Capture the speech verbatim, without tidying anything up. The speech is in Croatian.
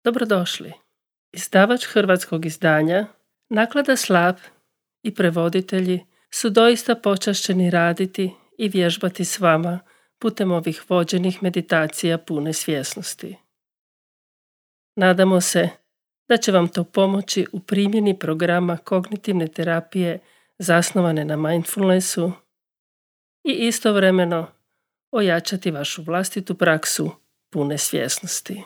Dobrodošli. Izdavač hrvatskog izdanja, Naklada Slap i prevoditelji su doista počašćeni raditi i vježbati s vama putem ovih vođenih meditacija pune svjesnosti. Nadamo se da će vam to pomoći u primjeni programa kognitivne terapije zasnovane na mindfulnessu i istovremeno ojačati vašu vlastitu praksu pune svjesnosti.